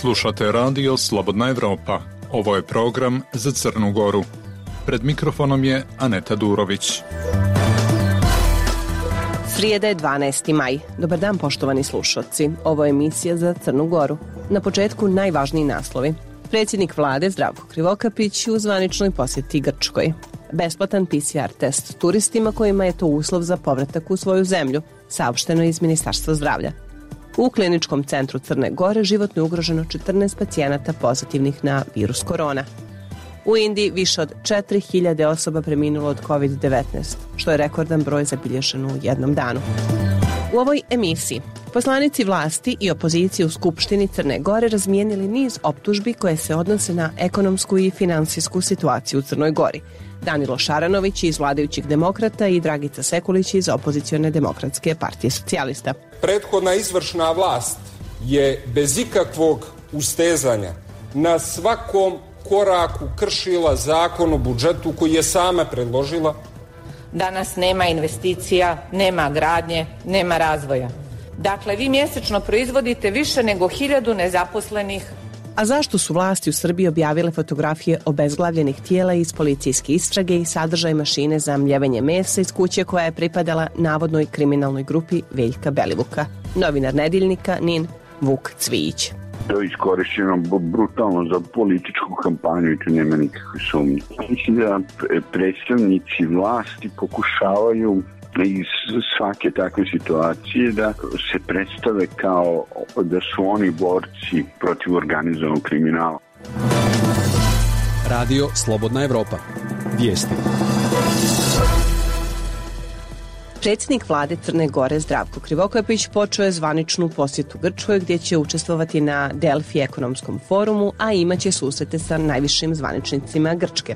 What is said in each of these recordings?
Slušate radio Slobodna Evropa. Ovo je program za Crnu Goru. Pred mikrofonom je Aneta Durović. Srijeda je 12. maj. Dobar dan, poštovani slušalci. Ovo je emisija za Crnu Goru. Na početku najvažniji naslovi. Predsjednik vlade Zdravko Krivokapić u zvaničnoj posjeti Grčkoj. Besplatan PCR test turistima kojima je to uslov za povratak u svoju zemlju, saopšteno iz Ministarstva zdravlja. U kliničkom centru Crne Gore životno je ugroženo 14 pacijenata pozitivnih na virus korona. U Indiji više od 4000 osoba preminulo od COVID-19, što je rekordan broj zabilježen u jednom danu. U ovoj emisiji poslanici vlasti i opozicije u Skupštini Crne Gore razmijenili niz optužbi koje se odnose na ekonomsku i finansijsku situaciju u Crnoj Gori. Danilo Šaranović iz vladajućih demokrata i Dragica Sekulić iz opozicione demokratske partije socijalista. Prethodna izvršna vlast je bez ikakvog ustezanja na svakom koraku kršila zakon o budžetu koji je sama predložila. Danas nema investicija, nema gradnje, nema razvoja. Dakle, vi mjesečno proizvodite više nego 1000 nezaposlenih. A zašto su vlasti u Srbiji objavile fotografije obezglavljenih tijela iz policijske istrage i sadržaj mašine za mljevenje mesa iz kuće koja je pripadala navodnoj kriminalnoj grupi Veljka Belivuka? Novinar Nedeljnika NIN Vuk Cvijić. To je iskorišteno brutalno za političku kampanju i tu nema nikakve sumnje. Mislim da predstavnici vlasti pokušavaju iz svake takve situacije da se predstave kao da su oni borci protiv organizovanog kriminala. Radio Slobodna Evropa. Vijesti. Predsjednik vlade Crne Gore Zdravko Krivokapić počeo je zvaničnu posjetu Grčkoj gdje će učestvovati na Delfi ekonomskom forumu, a imaće susrete sa najvišim zvaničnicima Grčke.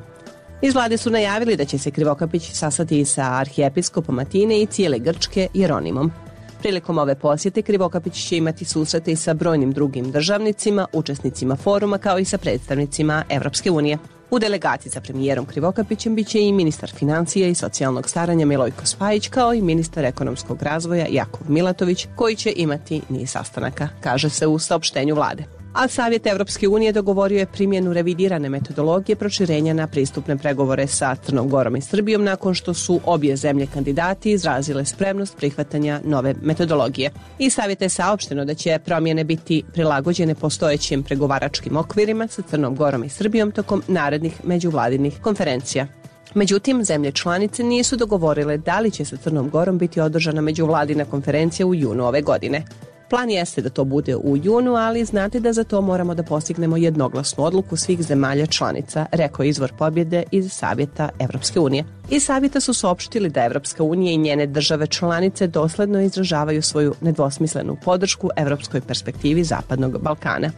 Iz vlade su najavili da će se Krivokapić sastati sa arhijepiskopom Atine i cijele Grčke Jeronimom. Prilikom ove posjete Krivokapić će imati susrete i sa brojnim drugim državnicima, učesnicima foruma kao i sa predstavnicima Evropske unije. U delegaciji sa premijerom Krivokapićem biće i ministar financija i socijalnog staranja Milojko Spajić kao i ministar ekonomskog razvoja Jakov Milatović koji će imati niz sastanaka, kaže se u saopštenju vlade. A Savjet Evropske unije dogovorio je primjenu revidirane metodologije proširenja na pristupne pregovore sa Crnom Gorom i Srbijom nakon što su obje zemlje kandidati izrazile spremnost prihvatanja nove metodologije. Iz Savjeta je saopšteno da će promjene biti prilagođene postojećim pregovaračkim okvirima sa Crnom Gorom i Srbijom tokom narednih međuvladinih konferencija. Međutim, zemlje članice nisu dogovorile da li će sa Crnom Gorom biti održana međuvladina konferencija u junu ove godine. Plan jeste da to bude u junu, ali znate da za to moramo da postignemo jednoglasnu odluku svih zemalja članica, rekao izvor pobjede iz Savjeta Evropske unije. Iz Savjeta su saopštili da Evropska unija i njene države članice dosledno izražavaju svoju nedvosmislenu podršku evropskoj perspektivi Zapadnog Balkana.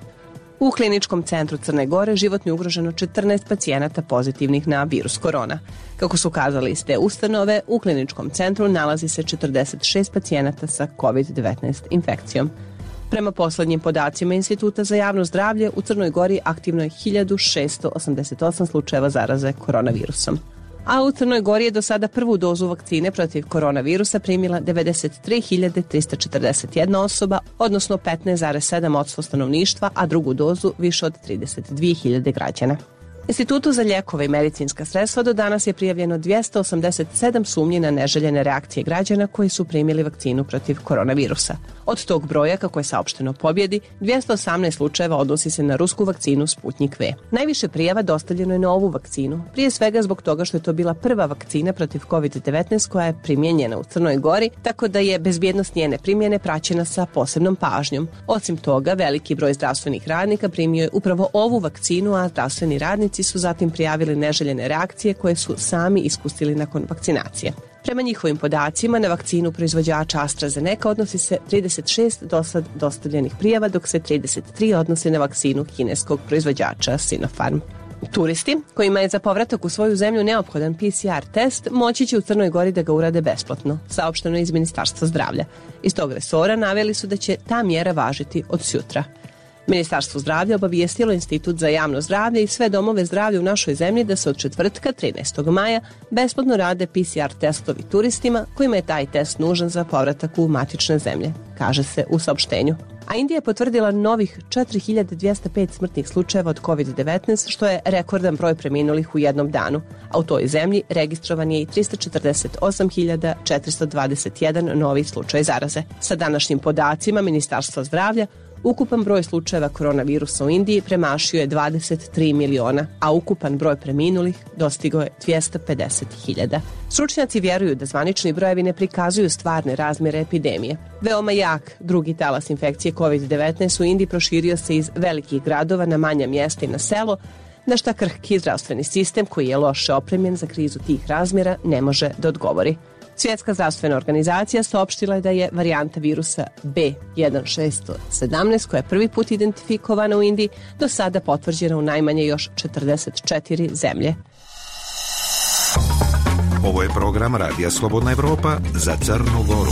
U kliničkom centru Crne Gore životno je ugroženo 14 pacijenata pozitivnih na virus korona. Kako su kazali iz te ustanove, u kliničkom centru nalazi se 46 pacijenata sa COVID-19 infekcijom. Prema poslednjim podacima Instituta za javno zdravlje, u Crnoj Gori aktivno je 1688 slučajeva zaraze koronavirusom. A u Crnoj Gori je do sada prvu dozu vakcine protiv koronavirusa primila 93.341 osoba, odnosno 15,7% stanovništva, a drugu dozu više od 32.000 građana. Institutu za lijekove i medicinska sredstva do danas je prijavljeno 287 sumnji na neželjene reakcije građana koji su primili vakcinu protiv koronavirusa. Od tog broja, kako je saopšteno pobjedi, 218 slučajeva odnosi se na rusku vakcinu Sputnik V. Najviše prijava dostavljeno je na ovu vakcinu, prije svega zbog toga što je to bila prva vakcina protiv COVID-19 koja je primijenjena u Crnoj Gori, tako da je bezbjednost njene primjene praćena sa posebnom pažnjom. Osim toga, veliki broj zdravstvenih radnika primio je upravo ovu vakcinu, a zdravstveni radnici su zatim prijavili neželjene reakcije koje su sami iskusili nakon vakcinacije. Prema njihovim podacima, na vakcinu proizvođača AstraZeneca odnosi se 36 dosad dostavljenih prijava, dok se 33 odnose na vakcinu kineskog proizvođača Sinopharm. Turisti, kojima je za povratak u svoju zemlju neophodan PCR test, moći će u Crnoj Gori da ga urade besplatno, saopšteno iz Ministarstva zdravlja. Iz tog resora naveli su da će ta mjera važiti od sutra. Ministarstvo zdravlja obavijestilo Institut za javno zdravlje i sve domove zdravlja u našoj zemlji da se od četvrtka 13. maja besplatno rade PCR testovi turistima kojima je taj test nužan za povratak u matične zemlje, kaže se u saopštenju. A Indija je potvrdila novih 4205 smrtnih slučajeva od COVID-19, što je rekordan broj preminulih u jednom danu. A u toj zemlji registrovan je i 348.421 novi slučaj zaraze. Sa današnjim podacima Ministarstva zdravlja, ukupan broj slučajeva koronavirusa u Indiji premašio je 23 miliona, a ukupan broj preminulih dostigao je 250.000. Stručnjaci vjeruju da zvanični brojevi ne prikazuju stvarne razmjere epidemije. Veoma jak drugi talas infekcije COVID-19 u Indiji proširio se iz velikih gradova na manja mjesta i na selo, na šta krhki zdravstveni sistem, koji je loše opremljen za krizu tih razmjera, ne može da odgovori. Svjetska zdravstvena organizacija saopštila je da je varijanta virusa B1617, koja je prvi put identifikovana u Indiji, do sada potvrđena u najmanje još 44 zemlje. Ovo je program Radija Slobodna Evropa za Crnu Goru.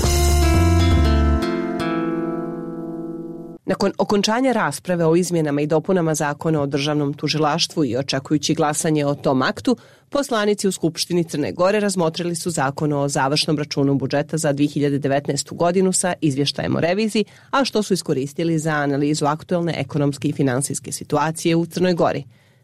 Nakon okončanja rasprave o izmjenama i dopunama Zakona o državnom tužilaštvu i očekujući glasanje o tom aktu, poslanici u Skupštini Crne Gore razmotrili su Zakon o završnom računu budžeta za 2019. godinu sa izvještajem o reviziji, a što su iskoristili za analizu aktuelne ekonomske i finansijske situacije u Crnoj Gori.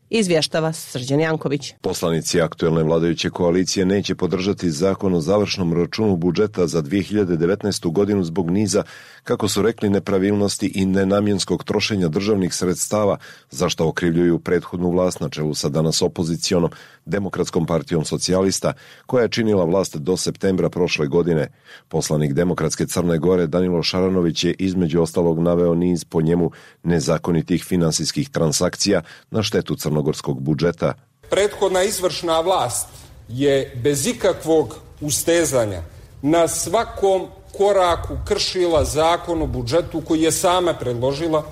Izvještava Srđan Janković. Poslanici aktuelne vladajuće koalicije neće podržati Zakon o završnom računu budžeta za 2019. godinu zbog niza, kako su rekli, nepravilnosti i nenamjenskog trošenja državnih sredstava, za što okrivljuju prethodnu vlast na čelu sa danas opozicionom Demokratskom partijom socijalista, koja je činila vlast do septembra prošle godine. Poslanik Demokratske Crne Gore Danilo Šaranović je između ostalog naveo niz po njemu nezakonitih finansijskih transakcija na štetu crnogorskog budžeta. Prethodna izvršna vlast je bez ikakvog ustezanja na svakom koraku kršila Zakon o budžetu koji je sama predložila,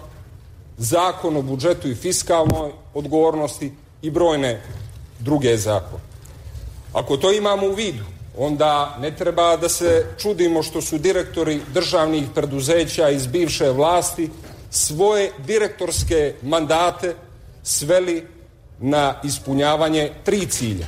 Zakon o budžetu i fiskalnoj odgovornosti i brojne druge zakone. Ako to imamo u vidu, onda ne treba da se čudimo što su direktori državnih preduzeća iz bivše vlasti svoje direktorske mandate sveli na ispunjavanje 3 cilja.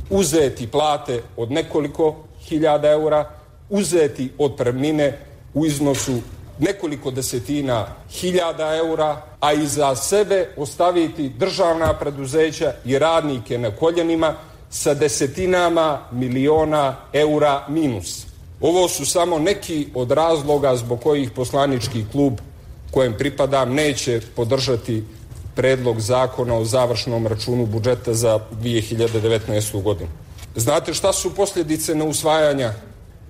Uzeti plate od nekoliko hiljada eura, uzeti otpremnine u iznosu nekoliko desetina hiljada eura, a iza sebe ostaviti državna preduzeća i radnike na koljenima sa desetinama miliona eura minus. Ovo su samo neki od razloga zbog kojih poslanički klub kojem pripadam neće podržati predlog Zakona o završnom računu budžeta za 2019. godinu. Znate šta su posljedice neusvajanja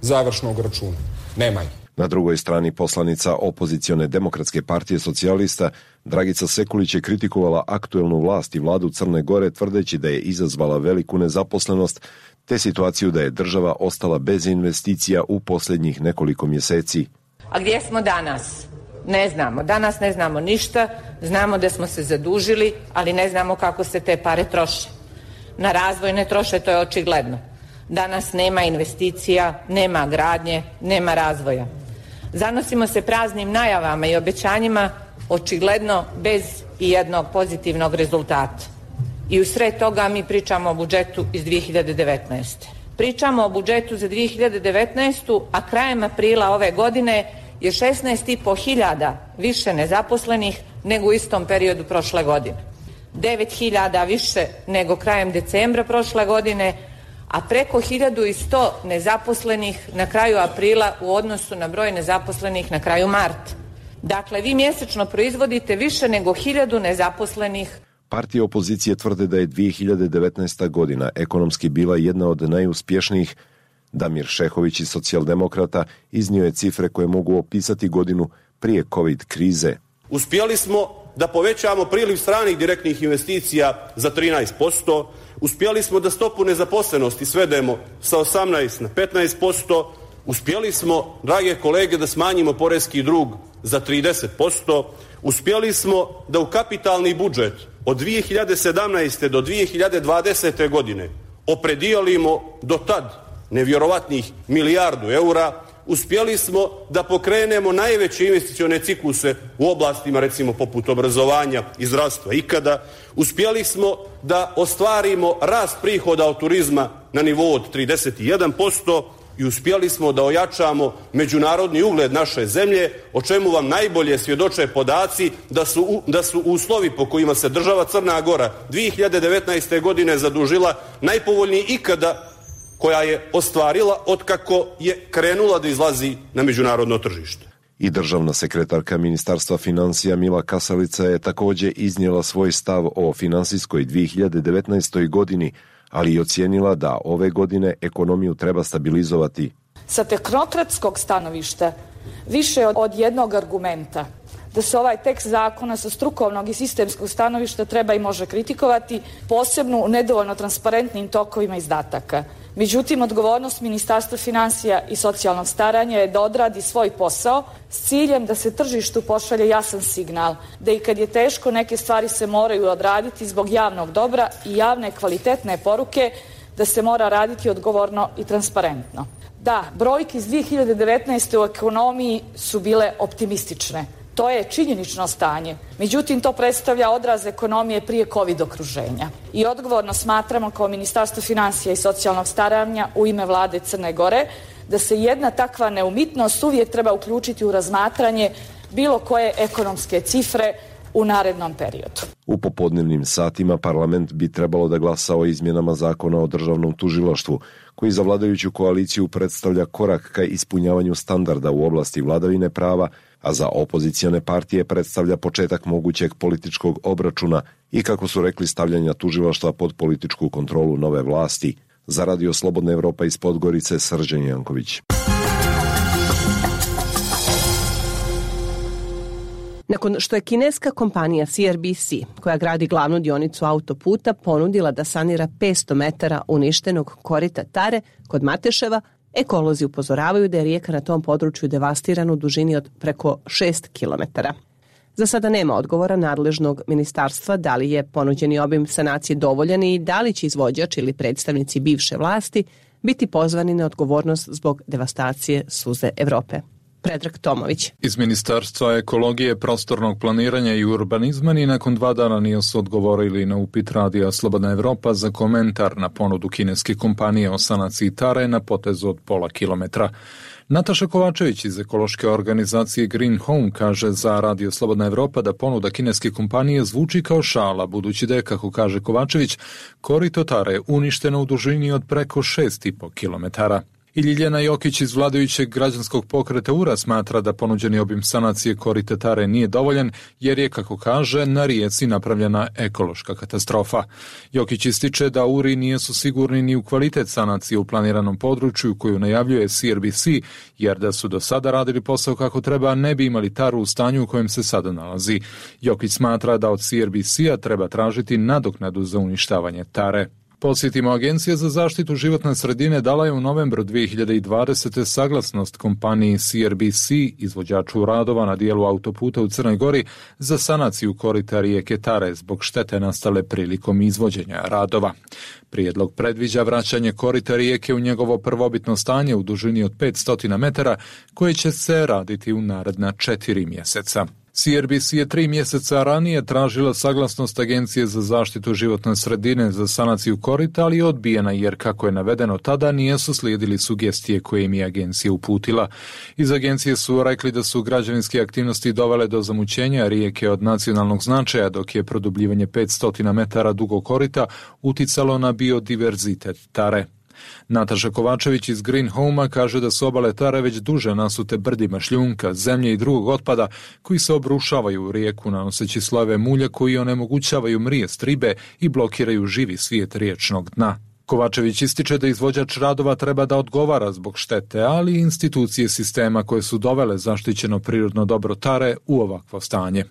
završnog računa? Nema ih. Na drugoj strani poslanica opozicione Demokratske partije socijalista Dragica Sekulić je kritikovala aktuelnu vlast i vladu Crne Gore, tvrdeći da je izazvala veliku nezaposlenost, te situaciju da je država ostala bez investicija u posljednjih nekoliko mjeseci. A gdje smo danas? Ne znamo. Danas ne znamo ništa, znamo da smo se zadužili, ali ne znamo kako se te pare troše. Na razvoj ne troše, to je očigledno. Danas nema investicija, nema gradnje, nema razvoja. Zanosimo se praznim najavama i obećanjima, očigledno bez i jednog pozitivnog rezultata. I u sred toga mi pričamo o budžetu iz 2019. Pričamo o budžetu za 2019. a krajem aprila ove godine je 16.500 više nezaposlenih nego u istom periodu prošle godine. 9.000 više nego krajem decembra prošle godine, a preko 1.100 nezaposlenih na kraju aprila u odnosu na broj nezaposlenih na kraju marta. Dakle, vi mjesečno proizvodite više nego 1.000 nezaposlenih. Partije opozicije tvrde da je 2019. godina ekonomski bila jedna od najuspješnijih. Damir Šehović iz Socijaldemokrata iznio je cifre koje mogu opisati godinu prije COVID krize. Uspjeli smo da povećamo priliv stranih direktnih investicija za 13%, uspjeli smo da stopu nezaposlenosti svedemo sa 18 na 15%, uspjeli smo, drage kolege, da smanjimo poreski dug za 30%, uspjeli smo da u kapitalni budžet od 2017. do 2020. godine opredijelimo do tad nevjerovatnih milijardu eura, uspjeli smo da pokrenemo najveće investicione cikluse u oblastima recimo poput obrazovanja i zdravstva ikada, uspjeli smo da ostvarimo rast prihoda od turizma na nivou od 31%, i uspjeli smo da ojačamo međunarodni ugled naše zemlje, o čemu vam najbolje svjedoče podaci da su uslovi po kojima se država Crna Gora 2019. godine zadužila najpovoljniji ikada koja je ostvarila otkako je krenula da izlazi na međunarodno tržište. I državna sekretarka Ministarstva financija Mila Kasalica je također iznijela svoj stav o finansijskoj 2019. godini, ali i ocijenila da ove godine ekonomiju treba stabilizovati. Sa tehnokratskog stanovišta više od jednog argumenta da se ovaj tekst zakona sa strukovnog i sistemskog stanovišta treba i može kritikovati, posebno u nedovoljno transparentnim tokovima izdataka. Međutim, odgovornost Ministarstva financija i socijalnog staranja je da odradi svoj posao s ciljem da se tržištu pošalje jasan signal, da i kad je teško neke stvari se moraju odraditi zbog javnog dobra i javne kvalitetne poruke, da se mora raditi odgovorno i transparentno. Da, brojke iz 2019. u ekonomiji su bile optimistične. To je činjenično stanje. Međutim, to predstavlja odraz ekonomije prije COVID okruženja. I odgovorno smatramo kao Ministarstvo financija i socijalnog staranja u ime vlade Crne Gore da se jedna takva neumitnost uvijek treba uključiti u razmatranje bilo koje ekonomske cifre u narednom periodu. U popodnevnim satima parlament bi trebalo da glasa o izmjenama zakona o državnom tužilaštvu, koji za vladajuću koaliciju predstavlja korak ka ispunjavanju standarda u oblasti vladavine prava, a za opozicione partije predstavlja početak mogućeg političkog obračuna i, kako su rekli, stavljanja tužilaštva pod političku kontrolu nove vlasti. Za Radio Slobodna Evropa iz Podgorice, Srđan Janković. Nakon što je kineska kompanija CRBC, koja gradi glavnu dionicu autoputa, ponudila da sanira 500 metara uništenog korita Tare kod Mateševa, ekolozi upozoravaju da je rijeka na tom području devastirana u dužini od preko 6 kilometara. Za sada nema odgovora nadležnog ministarstva da li je ponuđeni obim sanacije dovoljan i da li će izvođač ili predstavnici bivše vlasti biti pozvani na odgovornost zbog devastacije suze Evrope. Predrag Tomović. Iz Ministarstva ekologije, prostornog planiranja i urbanizma ni nakon 2 dana nisu odgovorili na upit Radija Slobodna Evropa za komentar na ponudu kineske kompanije o sanaciji Tare na potezu od pola kilometra. Nataša Kovačević iz ekološke organizacije Green Home kaže za Radio Slobodna Evropa da ponuda kineske kompanije zvuči kao šala, budući da je, kako kaže Kovačević, korito Tare uništeno u dužini od preko 6,5 kilometara. I Ljiljana Jokić iz vladajućeg građanskog pokreta URA smatra da ponuđeni obim sanacije korita Tare nije dovoljan, jer je, kako kaže, na rijeci napravljena ekološka katastrofa. Jokić ističe da URI nisu sigurni ni u kvalitet sanacije u planiranom području koju najavljuje CRBC, jer da su do sada radili posao kako treba, ne bi imali Taru u stanju u kojem se sada nalazi. Jokić smatra da od CRBC-a treba tražiti nadoknadu za uništavanje Tare. Podsjetimo, Agencija za zaštitu životne sredine dala je u novembru 2020. saglasnost kompaniji CRBC, izvođaču radova na dijelu autoputa u Crnoj Gori, za sanaciju korita rijeke Tare zbog štete nastale prilikom izvođenja radova. Prijedlog predviđa vraćanje korita rijeke u njegovo prvobitno stanje u dužini od 500 metara, koje će se raditi u naredna 4 mjeseca. CRBC je 3 mjeseca ranije tražila saglasnost Agencije za zaštitu životne sredine za sanaciju korita, ali je odbijena jer, kako je navedeno tada, nisu slijedili sugestije koje im je agencija uputila. Iz agencije su rekli da su građevinske aktivnosti dovele do zamućenja rijeke od nacionalnog značaja, dok je produbljivanje 500 metara dugog korita uticalo na biodiverzitet Tare. Nataša Kovačević iz Green Home-a kaže da su obale Tare već duže nasute brdima šljunka, zemlje i drugog otpada koji se obrušavaju u rijeku nanoseći slojeve mulja koji onemogućavaju mrijest ribe i blokiraju živi svijet riječnog dna. Kovačević ističe da izvođač radova treba da odgovara zbog štete, ali i institucije sistema koje su dovele zaštićeno prirodno dobro Tare u ovakvo stanje.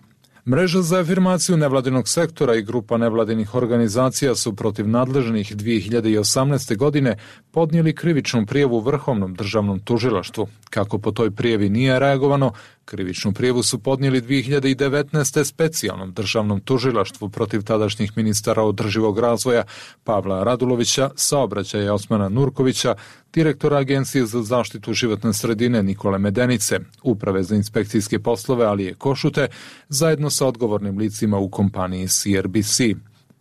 Mreža za afirmaciju nevladinog sektora i grupa nevladinih organizacija su protiv nadležnih 2018. godine podnijeli krivičnu prijavu Vrhovnom državnom tužilaštvu. Kako po toj prijavi nije reagovano, krivičnu prijavu su podnijeli 2019. specijalnom državnom tužilaštvu protiv tadašnjih ministara održivog razvoja Pavla Radulovića, saobraćaja Osmana Nurkovića, direktora Agencije za zaštitu životne sredine Nikole Medenice, Uprave za inspekcijske poslove Alije Košute, zajedno sa odgovornim licima u kompaniji CRBC.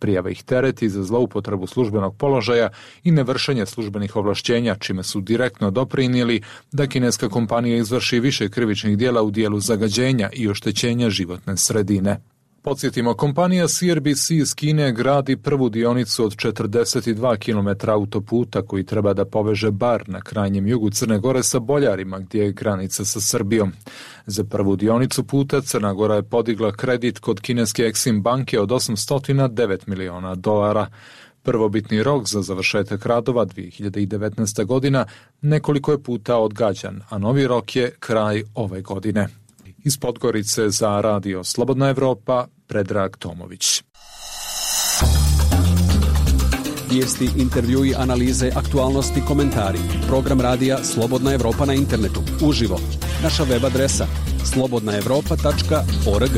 Prijava ih tereti za zloupotrebu službenog položaja i nevršenje službenih ovlašćenja, čime su direktno doprinijeli da kineska kompanija izvrši više krivičnih djela u dijelu zagađenja i oštećenja životne sredine. Podsjetimo, kompanija CRBC iz Kine gradi prvu dionicu od 42 km autoputa koji treba da poveže Bar na krajnjem jugu Crne Gore sa Boljarima, gdje je granica sa Srbijom. Za prvu dionicu puta Crna Gora je podigla kredit kod kineske Exim banke od $809 miliona. Prvobitni rok za završetak radova 2019. godina nekoliko je puta odgađan, a novi rok je kraj ove godine. Iz Podgorice za radio Slobodna Evropa, Predrag Tomović. Vijesti, intervjui, analize, aktualnosti, komentari. Program radija Slobodna Evropa na internetu. Uživo. Naša web adresa slobodnaevropa.org.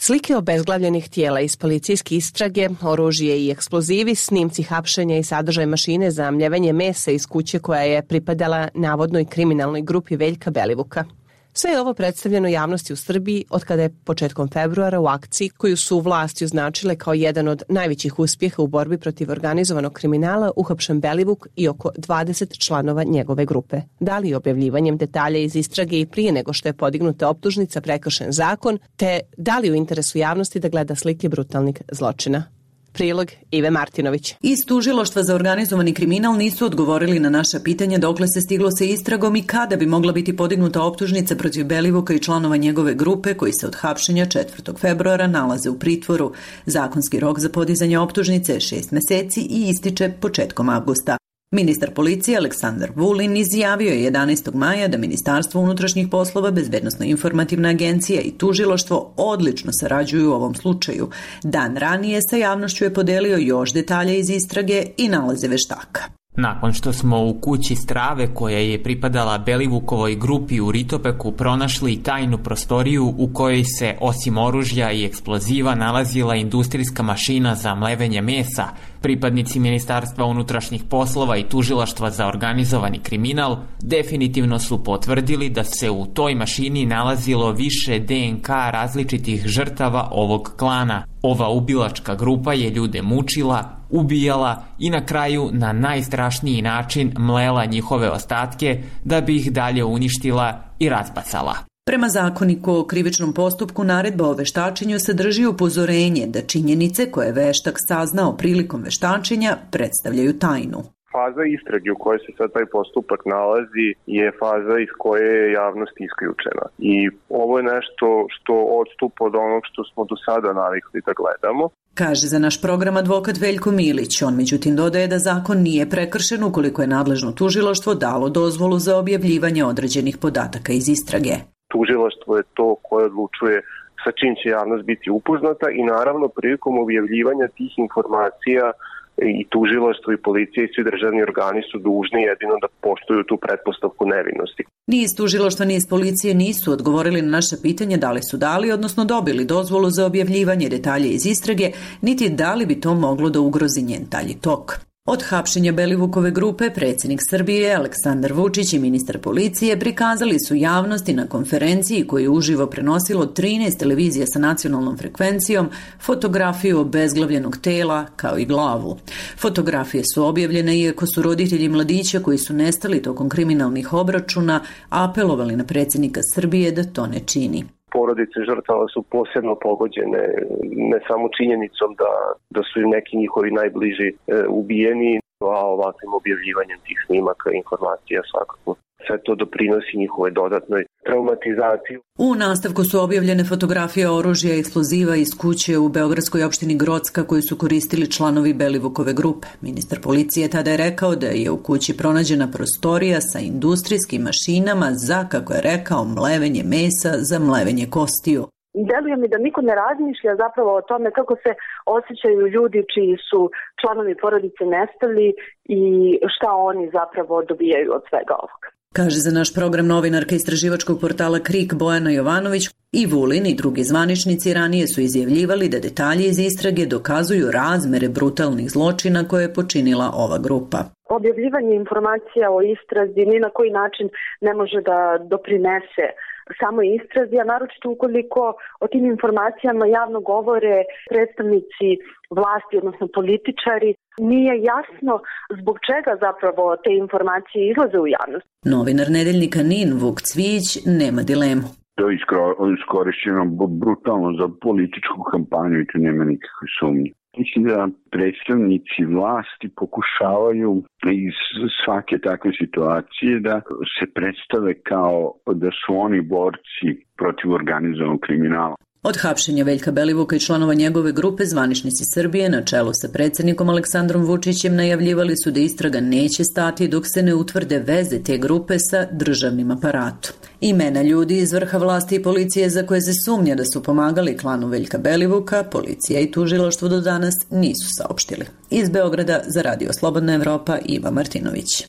Slike obezglavljenih tijela iz policijske istrage, oružje i eksplozivi, snimci hapšenja i sadržaj mašine za mljevenje mesa iz kuće koja je pripadala navodnoj kriminalnoj grupi Veljka Belivuka. Sve je ovo predstavljeno javnosti u Srbiji od kada je početkom februara u akciji koju su vlasti označile kao jedan od najvećih uspjeha u borbi protiv organizovanog kriminala uhapšen Belivuk i oko 20 članova njegove grupe. Da li objavljivanjem detalja iz istrage i prije nego što je podignuta optužnica prekršen zakon, te da li u interesu javnosti da gleda slike brutalnih zločina? Prilog Ive Martinović. Iz Tužilaštva za organizovani kriminal nisu odgovorili na naša pitanja dokle se stiglo sa istragom i kada bi mogla biti podignuta optužnica protiv Belivuka i članova njegove grupe koji se od hapšenja 4. februara nalaze u pritvoru. Zakonski rok za podizanje optužnice je 6 meseci i ističe početkom avgusta. Ministar policije Aleksandar Vulin izjavio je 11. maja da Ministarstvo unutrašnjih poslova, Bezbednosno-informativna agencija i tužilaštvo odlično sarađuju u ovom slučaju. Dan ranije sa javnošću je podelio još detalje iz istrage i nalaze veštaka. Nakon što smo u kući strave koja je pripadala Belivukovoj grupi u Ritopeku pronašli tajnu prostoriju u kojoj se osim oružja i eksploziva nalazila industrijska mašina za mlevenje mesa, pripadnici Ministarstva unutrašnjih poslova i Tužilaštva za organizovani kriminal definitivno su potvrdili da se u toj mašini nalazilo više DNK različitih žrtava ovog klana. Ova ubilačka grupa je ljude mučila, ubijala i na kraju na najstrašniji način mlela njihove ostatke da bi ih dalje uništila i razbacala. Prema zakoniku o krivičnom postupku, naredba o veštačenju sadrži upozorenje da činjenice koje je veštak saznao prilikom veštačenja predstavljaju tajnu. Faza istrage u kojoj se sad taj postupak nalazi je faza iz koje je javnost isključena. I ovo je nešto što odstupa od onog što smo do sada navikli da gledamo. Kaže za naš program advokat Veljko Milić. On međutim dodaje da zakon nije prekršen ukoliko je nadležno tužilaštvo dalo dozvolu za objavljivanje određenih podataka iz istrage. Tužilaštvo je to koje odlučuje sa čim će javnost biti upoznata i naravno prilikom objavljivanja tih informacija i tužilaštvo i policija i svi državni organi su dužni jedino da poštuju tu pretpostavku nevinosti. Ni iz tužilaštva ni iz policije nisu odgovorili na naše pitanje da li su dali, odnosno dobili dozvolu za objavljivanje detalja iz istrage, niti da li bi to moglo da ugrozi njen dalji tok. Od hapšenja Belivukove grupe predsjednik Srbije Aleksandar Vučić i ministar policije prikazali su javnosti na konferenciji koju je uživo prenosilo 13 televizija sa nacionalnom frekvencijom fotografiju obezglavljenog tela kao i glavu. Fotografije su objavljene iako su roditelji mladića koji su nestali tokom kriminalnih obračuna apelovali na predsjednika Srbije da to ne čini. Porodice žrtava su posebno pogođene ne samo činjenicom da su im neki njihovi najbliži ubijeni, a ovakvim objavljivanjem tih snimaka i informacija svakako. Sve to doprinosi njihove dodatnoj traumatizaciji. U nastavku su objavljene fotografije oružja i eksploziva iz kuće u beogradskoj opštini Grocka koju su koristili članovi Belivukove grupe. Ministar policije tada je rekao da je u kući pronađena prostorija sa industrijskim mašinama za, kako je rekao, mlevenje mesa za mlevenje kostiju. Deluje mi da niko ne razmišlja zapravo o tome kako se osjećaju ljudi čiji su članovi porodice nestali i šta oni zapravo dobijaju od svega ovoga. Kaže za naš program novinarka istraživačkog portala KRIK Bojana Jovanović. I Vulin i drugi zvaničnici ranije su izjavljivali da detalji iz istrage dokazuju razmere brutalnih zločina koje je počinila ova grupa. Objavljivanje informacija o istrazi ni na koji način ne može da doprinese samoj istrazi, a naročito ukoliko o tim informacijama javno govore predstavnici vlasti, odnosno političari, nije jasno zbog čega zapravo te informacije izlaze u javnost. Novinar nedeljnika NIN Vuk Cvijić nema dilemu. To je iskorišćeno brutalno za političku kampanju i tu nema nikakve sumnje. Mislim da predstavnici vlasti pokušavaju iz svake takve situacije da se predstave kao da su oni borci protiv organizovanog kriminala. Od hapšenja Veljka Belivuka i članova njegove grupe zvaničnici Srbije na čelu sa predsjednikom Aleksandrom Vučićem najavljivali su da istraga neće stati dok se ne utvrde veze te grupe sa državnim aparatom. Imena ljudi iz vrha vlasti i policije za koje se sumnja da su pomagali klanu Veljka Belivuka, policija i tužilaštvo do danas nisu saopštili. Iz Beograda za Radio Slobodna Evropa Iva Martinović.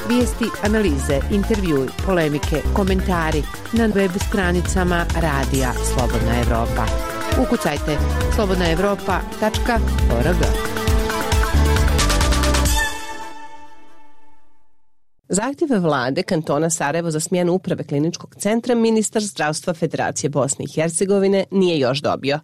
Vijesti, analize, intervjui, polemike, komentari na web stranicama Radija Slobodna Evropa. Ukucajte slobodnaevropa.org. Zahtjeve vlade kantona Sarajevo za smjenu uprave kliničkog centra ministar zdravstva Federacije Bosne i Hercegovine nije još dobio.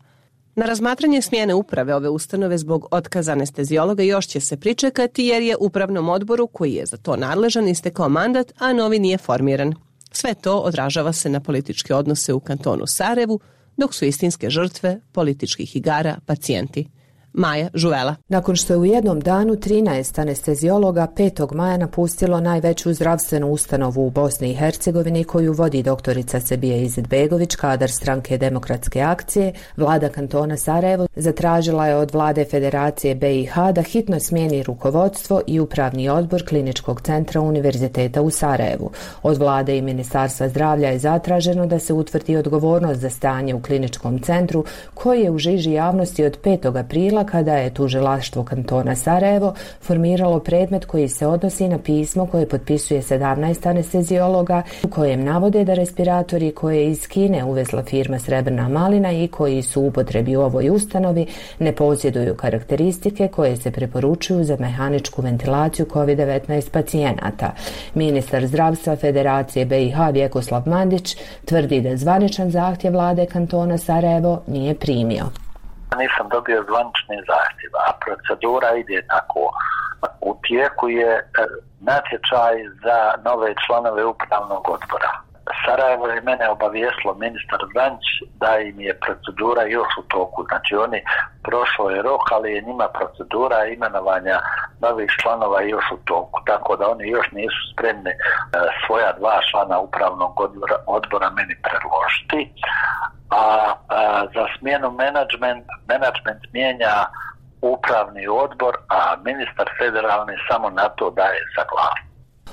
Na razmatranje smjene uprave ove ustanove zbog otkaza anestezijologa još će se pričekati jer je upravnom odboru koji je za to nadležan istekao mandat, a novi nije formiran. Sve to odražava se na političke odnose u kantonu Sarajevu, dok su istinske žrtve političkih igara pacijenti. Maja Žuvela. Nakon što je u jednom danu 13 anestezijologa 5. maja napustilo najveću zdravstvenu ustanovu u Bosni i Hercegovini koju vodi doktorica Sebija Izetbegović, kadar stranke Demokratske akcije, vlada kantona Sarajevo zatražila je od vlade Federacije BiH da hitno smijeni rukovodstvo i upravni odbor kliničkog centra Univerziteta u Sarajevu. Od vlade i Ministarstva zdravlja je zatraženo da se utvrdi odgovornost za stanje u kliničkom centru koji je u žiži javnosti od 5. aprila kada je tužilaštvo kantona Sarajevo formiralo predmet koji se odnosi na pismo koje potpisuje 17 anestezijologa u kojem navode da respiratori koje je iz Kine uvezla firma Srebrna malina i koji su u upotrebi u ovoj ustanovi ne posjeduju karakteristike koje se preporučuju za mehaničku ventilaciju COVID-19 pacijenata. Ministar zdravstva Federacije BiH Vjekoslav Mandić tvrdi da zvaničan zahtjev vlade kantona Sarajevo nije primio. Nisam dobio zvanični zahtjev, a procedura ide tako. U tijeku je natječaj za nove članove upravnog odbora. Sarajevo je mene obavijestilo ministar Zanić da im je procedura još u toku. Znači oni prošlo je rok, ali je njima procedura imenovanja novih članova još u toku. Tako da oni još nisu spremni svoja 2 člana upravnog odbora meni predložiti. A za smjenu menadžment mijenja upravni odbor, a ministar federalni samo na to daje saglasnost.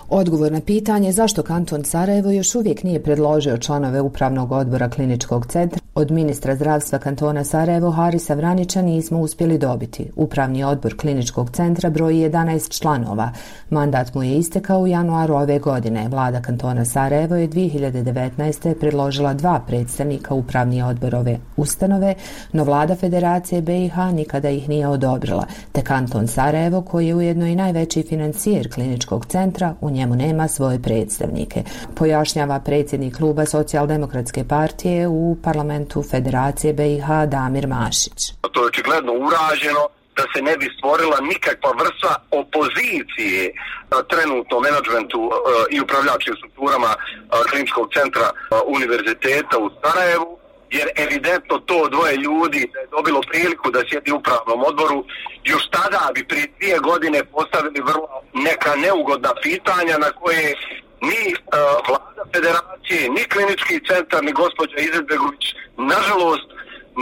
Odgovor na pitanje zašto kanton Sarajevo još uvijek nije predložio članove upravnog odbora kliničkog centra od ministra zdravstva kantona Sarajevo Harisa Vranića nismo uspjeli dobiti. Upravni odbor kliničkog centra broji 11 članova. Mandat mu je istekao u januaru ove godine. Vlada kantona Sarajevo je 2019. predložila 2 predstavnika upravni odbor ove ustanove, no vlada Federacije BiH nikada ih nije odobrila. Te kanton Sarajevo, koji je ujedno i najveći financijer kliničkog centra, u njemu nema svoje predstavnike. Pojašnjava predsjednik kluba Socijaldemokratske partije u parlamentu Federacije BiH Damir Mašić. To je očigledno urađeno da se ne bi stvorila nikakva vrsta opozicije trenutno menadžmentu i upravljačkim strukturama kliničkog centra Univerziteta u Sarajevu, jer evidentno to 2 ljudi da je dobilo priliku da sjedi u upravnom odboru, još tada bi prije 2 godine postavili vrlo neka neugodna pitanja na koje ni vlada Federacije, ni klinički centar, ni gospođa Izetbegović, nažalost,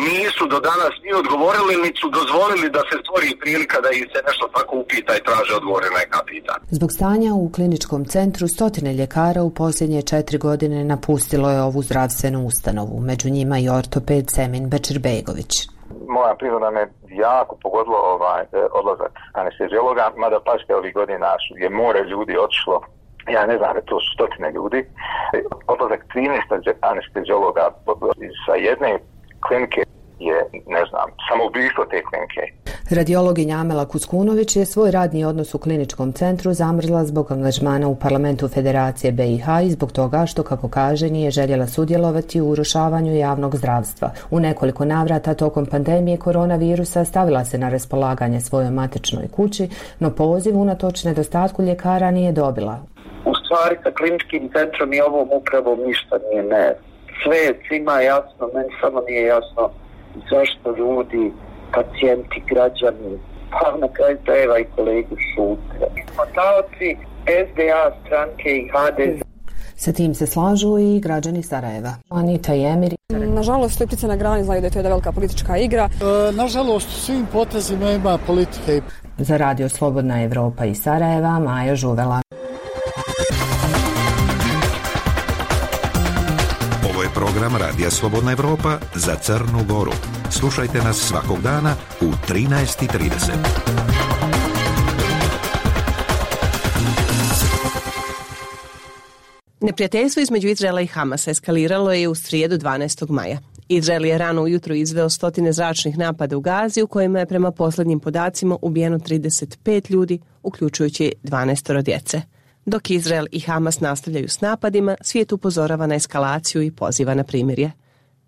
nisu do danas ni odgovorili, ni su dozvolili da se stvori prilika da ih se nešto tako upita i traže odgovore na neka pitanja. Zbog stanja u kliničkom centru 100 ljekara u posljednje 4 godine napustilo je ovu zdravstvenu ustanovu, među njima i ortoped Semin Bečirbejgović. Moja priroda me jako pogodilo odlazak anestezijologa, mada paške ovih godina je more ljudi otišlo. Ja ne znam, to su 100 ljudi. Odlazak 13 anestezijologa sa jedne klinike je, ne znam, samoubistvo te klinike. Radiologinja Amela Kuskunović je svoj radni odnos u kliničkom centru zamrzla zbog angažmana u parlamentu Federacije BiH i zbog toga što, kako kaže, nije željela sudjelovati u urušavanju javnog zdravstva. U nekoliko navrata tokom pandemije koronavirusa stavila se na raspolaganje svojoj matičnoj kući, no poziv unatoč nedostatku ljekara nije dobila. U stvari sa kliničkim centrom i ovom upravom ništa nije ne. Sve je svima jasno, meni samo nije jasno zašto ljudi, pacijenti, građani, pa na kraju krajeva i kolegi šute. Mi smo taoci SDA stranke i HDZ. Sa tim se slažu i građani Sarajeva. Anita i Emir. Nažalost, Lipice na grani znaju da je to jedna velika politička igra. Nažalost, svim potezima ima politike. Za Radio Slobodna Evropa iz Sarajeva, Maja Žuvela. Ovo je program Radija Slobodna Evropa za Crnu Goru. Slušajte nas svakog dana u 13:30. Neprijateljstvo između Izraela i Hamasa eskaliralo je u srijedu 12. maja. Izrael je rano ujutro izveo 100 zračnih napada u Gazi u kojima je prema posljednjim podacima ubijeno 35 ljudi, uključujući 12 djece. Dok Izrael i Hamas nastavljaju s napadima, svijet upozorava na eskalaciju i poziva na primirje.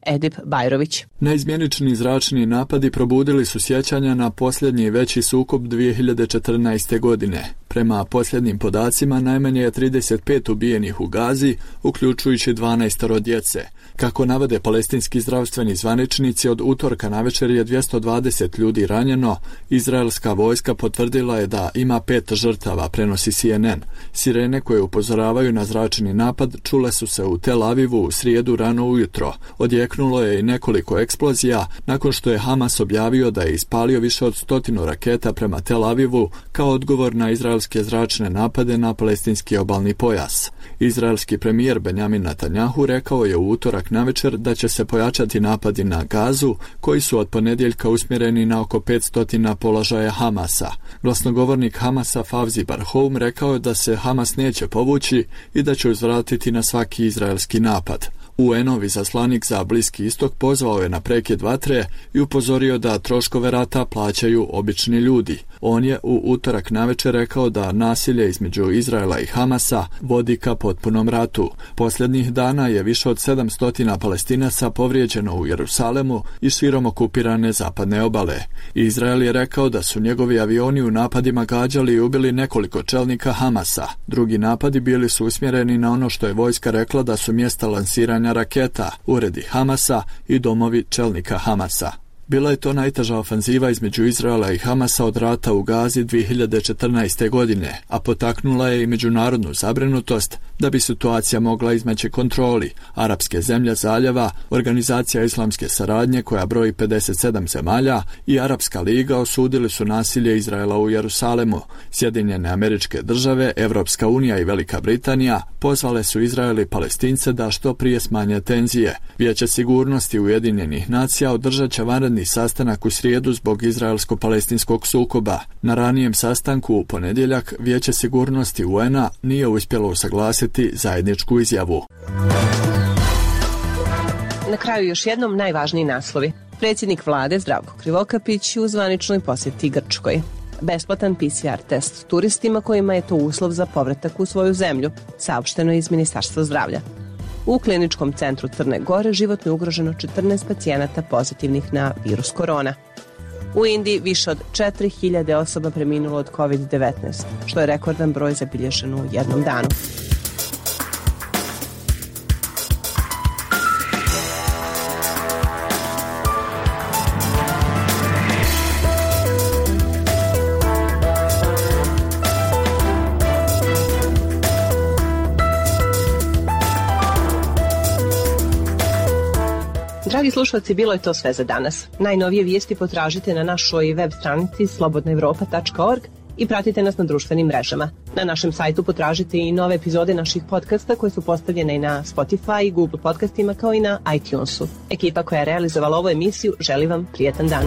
Edip Bajrović. Neizmjenični zračni napadi probudili su sjećanja na posljednji veći sukob 2014. godine. Prema posljednjim podacima najmanje je 35 ubijenih u Gazi, uključujući 12 djece. Kako navode palestinski zdravstveni zvaničnici, od utorka navečer je 220 ljudi ranjeno. Izraelska vojska potvrdila je da ima 5 žrtava, prenosi CNN. Sirene koje upozoravaju na zračni napad čule su se u Tel Avivu u srijedu rano ujutro. Odjeknulo je i nekoliko eksplozija nakon što je Hamas objavio da je ispalio više od 100 raketa prema Tel Avivu kao odgovor na izraelske zračne napade na palestinski obalni pojas. Izraelski premijer Benjamin Netanjahu rekao je u utorak navečer da će se pojačati napadi na Gazu, koji su od ponedjeljka usmjereni na oko 500 položaja Hamasa. Glasnogovornik Hamasa Favzi Barhoum rekao je da se Hamas neće povući i da će uzvratiti na svaki izraelski napad. UN-ov izaslanik za Bliski istok pozvao je na prekid vatre i upozorio da troškove rata plaćaju obični ljudi. On je u utorak navečer rekao da nasilje između Izraela i Hamasa vodi ka potpunom ratu. Posljednjih dana je više od 700 Palestinaca povrijeđeno u Jerusalemu i širom okupirane zapadne obale. Izrael je rekao da su njegovi avioni u napadima gađali i ubili nekoliko čelnika Hamasa. Drugi napadi bili su usmjereni na ono što je vojska rekla da su mjesta lansiranja raketa, uredi Hamasa i domovi čelnika Hamasa. Bila je to najteža ofanziva između Izraela i Hamasa od rata u Gazi 2014. godine, a potaknula je i međunarodnu zabrinutost da bi situacija mogla izmaći kontroli. Arapske zemlje zaljeva, Organizacija islamske saradnje koja broji 57 zemalja i Arapska liga osudili su nasilje Izraela u Jerusalemu. Sjedinjene Američke Države, Evropska unija i Velika Britanija pozvale su Izrael i Palestince da što prije smanje tenzije. Vijeće sigurnosti Ujedinjenih nacija održat će vanredni sastanak u srijedu zbog izraelsko-palestinskog sukoba. Na ranijem sastanku u ponedjeljak Vijeće sigurnosti UN-a nije uspjelo usaglasiti zajedničku izjavu. Na kraju još jednom najvažniji naslovi. Predsjednik vlade Zdravko Krivokapić u zvaničnoj posjeti Grčkoj. Besplatan PCR test turistima kojima je to uslov za povratak u svoju zemlju, saopšteno je iz Ministarstva zdravlja. U kliničkom centru Crne Gore životno je ugroženo 14 pacijenata pozitivnih na virus korona. U Indiji više od 4000 osoba preminulo od COVID-19, što je rekordan broj zabilježen u jednom danu. Dragi slušalci, bilo je to sve za danas. Najnovije vijesti potražite na našoj web stranici slobodnaevropa.org i pratite nas na društvenim mrežama. Na našem sajtu potražite i nove epizode naših podcasta koje su postavljene i na Spotify i Google podcastima kao i na iTunesu. Ekipa koja je realizovala ovu emisiju želi vam prijetan dan.